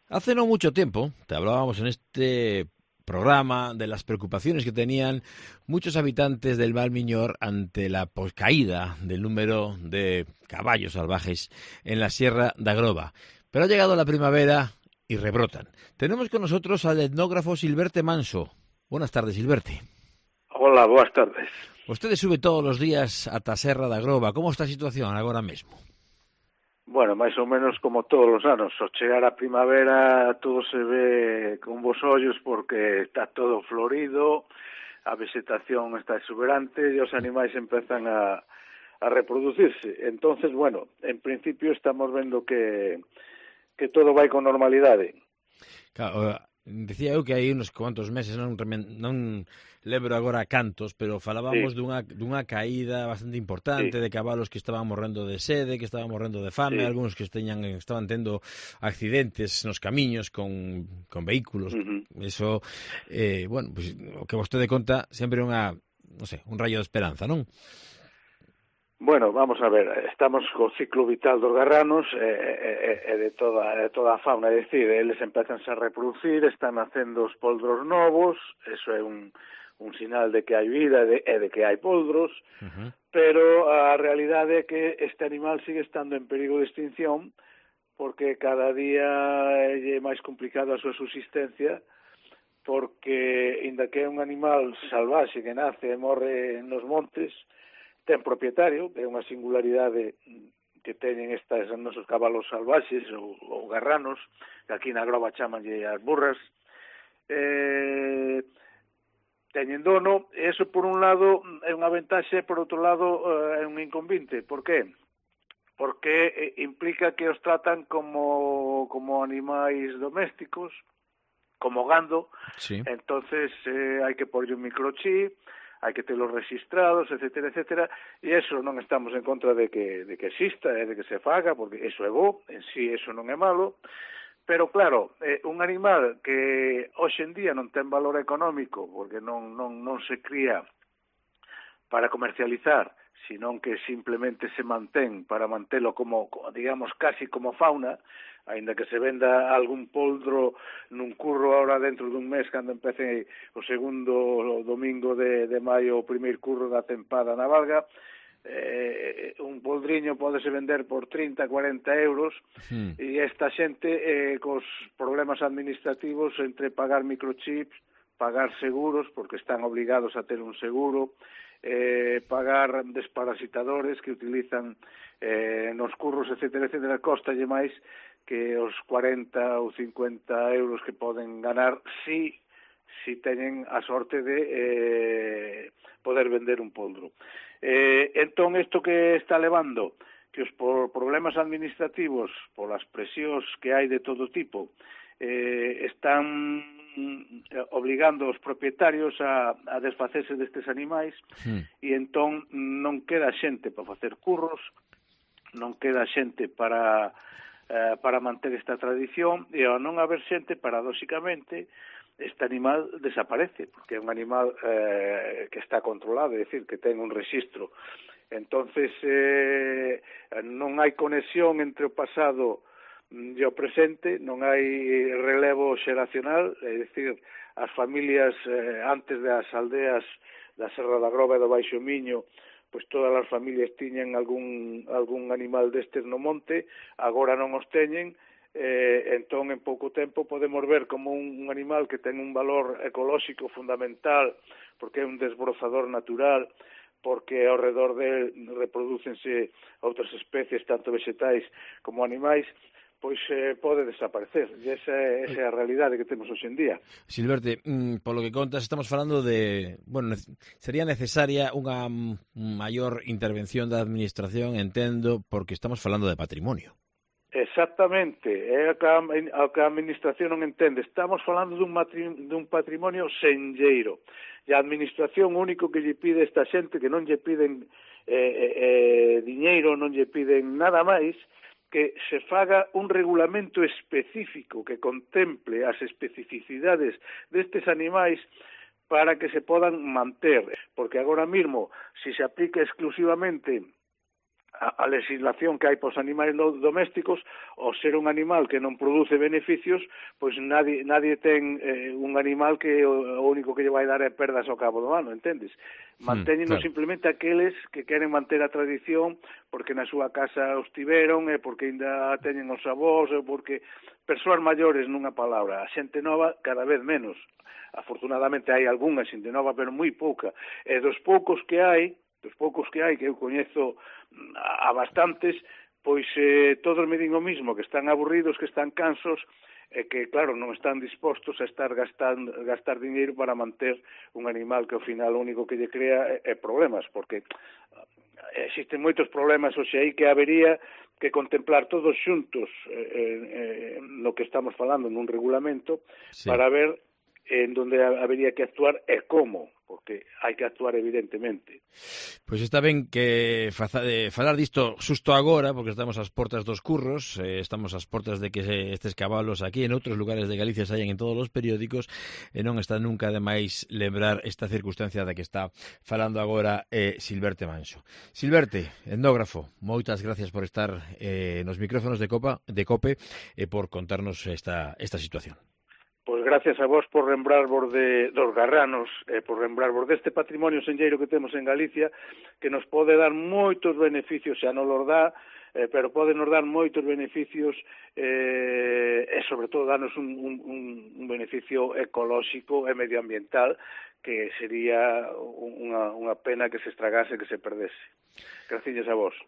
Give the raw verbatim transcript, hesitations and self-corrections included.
Hace no mucho tiempo te hablábamos en este programa de las preocupaciones que tenían muchos habitantes del Val Miñor ante la pues, caída del número de caballos salvajes en la Sierra da Groba. Pero ha llegado la primavera y rebrotan. Tenemos con nosotros al etnógrafo Silverte Manso. Buenas tardes, Silverte. Hola, boas tardes. Vostede sube todos os días ata a Serra da Groba. Como está a situación agora mesmo? Bueno, máis ou menos como todos os anos. Ao chegar a primavera todo se ve con bons ollos porque está todo florido, a vegetación está exuberante e os animais empezan a, a reproducirse. Entonces, bueno, en principio estamos vendo que, que todo vai con normalidade. Claro, decía eu que hai uns cuantos meses, non, non lembro agora cantos, pero falábamos sí. dunha, dunha caída bastante importante sí. de cabalos que estaban morrendo de sede, que estaban morrendo de fame, sí. algúns que esteñan, estaban tendo accidentes nos camiños con, con vehículos. Uh-huh. Eso, eh, bueno, pues, o que vostede conta sempre é unha, non sei, un rayo de esperanza, non? Bueno, vamos a ver, estamos co ciclo vital dos garranos e, e, e de toda de toda a fauna, é dicir, eles empezan a reproducir, están nacendo os poldros novos, eso é un un sinal de que hai vida e de, e de que hai poldros, uh-huh. pero a realidade é que este animal sigue estando en perigo de extinción porque cada día é máis complicado a súa subsistencia, porque, inda que é un animal salvaxe que nace e morre nos montes, ten propietario, é unha singularidade que teñen estas nosos cabalos salvaxes ou, ou garranos, que aquí na Groba chamanlle as burras, eh, teñen dono, e eso por un lado é unha ventaxe, por outro lado é un inconvinte. Por qué? Porque implica que os tratan como, como animais domésticos, como gando, sí. entonces eh, hai que porlle un microchip, hai que telos registrados, etcétera, etcétera, e eso non estamos en contra de que, de que exista, eh, de que se faga, porque eso é bo, en sí eso non é malo, pero claro, eh, un animal que hoxe en día non ten valor económico, porque non, non, non se cría para comercializar, senón que simplemente se mantén para mantelo como, digamos, casi como fauna, aínda que se venda algún poldro nun curro ahora dentro dun mes cando empece o segundo domingo de, de maio o primeiro curro da tempada na Valga, eh, un poldriño podese vender por trinta, cuarenta euros sí. e esta xente eh, cos problemas administrativos entre pagar microchips, pagar seguros, porque están obligados a ter un seguro, eh, pagar desparasitadores que utilizan eh, nos curros, etcétera, etcétera, costalle máis que os cuarenta ou cincuenta euros que poden ganar si, si teñen a sorte de eh, poder vender un poldro. Eh, entón, isto que está levando, que os por problemas administrativos, polas presións que hai de todo tipo, eh, están obligando os propietarios a, a desfacerse destes animais sí. e entón non queda xente para facer curros, non queda xente para eh, para manter esta tradición e ao non haber xente, paradóxicamente, este animal desaparece, porque é un animal eh, que está controlado, é dicir, que ten un rexistro. Entonces, eh, non hai conexión entre o pasado e o presente, non hai relevo xeracional, é dicir, as familias eh, antes das aldeas da Serra da Groba e do Baixo Miño, pois todas as familias tiñan algún, algún animal destes no monte, agora non os teñen, eh, entón en pouco tempo podemos ver como un, un animal que ten un valor ecolóxico fundamental, porque é un desbrozador natural, porque ao redor de reprodúcense outras especies, tanto vegetais como animais, pois eh, pode desaparecer. E esa é, esa é a realidade que temos hoxe en día. Silverte, mm, polo que contas, estamos falando de... Bueno, sería necesaria unha maior intervención da administración, entendo, porque estamos falando de patrimonio. Exactamente, é o que a administración non entende. Estamos falando dun, dun patrimonio senlleiro. E a administración único que lle pide esta xente, que non lle piden eh, eh, diñeiro, non lle piden nada máis, que se faga un regulamento específico que contemple as especificidades destes animais para que se podan manter, porque agora mesmo, se se aplica exclusivamente a, a legislación que hai para os animais domésticos, ao ser un animal que non produce beneficios, pois nadie, nadie ten eh, un animal que o, o único que lle vai dar é perdas ao cabo do ano, entendes? Mantéñenos mm, claro. simplemente aqueles que queren manter a tradición porque na súa casa os tiveron, e porque ainda teñen os avós, e porque persoas maiores, nunha palabra. A xente nova cada vez menos. Afortunadamente hai algunha xente nova, pero moi pouca. E dos poucos que hai, dos poucos que hai, que eu coñezo a bastantes, pois eh, todos me din o mismo, que están aburridos, que están cansos, e que, claro, non están dispostos a estar gastando, gastar dinheiro para manter un animal que ao final o único que lle crea é, é problemas, porque existen moitos problemas hoxe aí que habería que contemplar todos xuntos eh, eh, no que estamos falando nun regulamento, sí, para ver en donde habería que actuar e como, porque hai que actuar evidentemente. Pois está ben que faza, de, falar disto xusto agora, porque estamos ás portas dos curros, eh, estamos ás portas de que se, estes cabalos aquí en outros lugares de Galicia saen en todos os periódicos, e non está nunca de máis lembrar esta circunstancia da que está falando agora eh, Silverte Manxo. Silverte, etnógrafo, moitas gracias por estar eh, nos micrófonos de Copa de Cope e por contarnos esta, esta situación. Pois gracias a vos por lembrarvos de, dos garranos, e por lembrarvos deste patrimonio senlleiro que temos en Galicia, que nos pode dar moitos beneficios, xa non los dá, eh, pero pode nos dar moitos beneficios, eh, e sobre todo darnos un, un, un beneficio ecolóxico e medioambiental, que sería unha, unha pena que se estragase, que se perdese. Gracias a vos.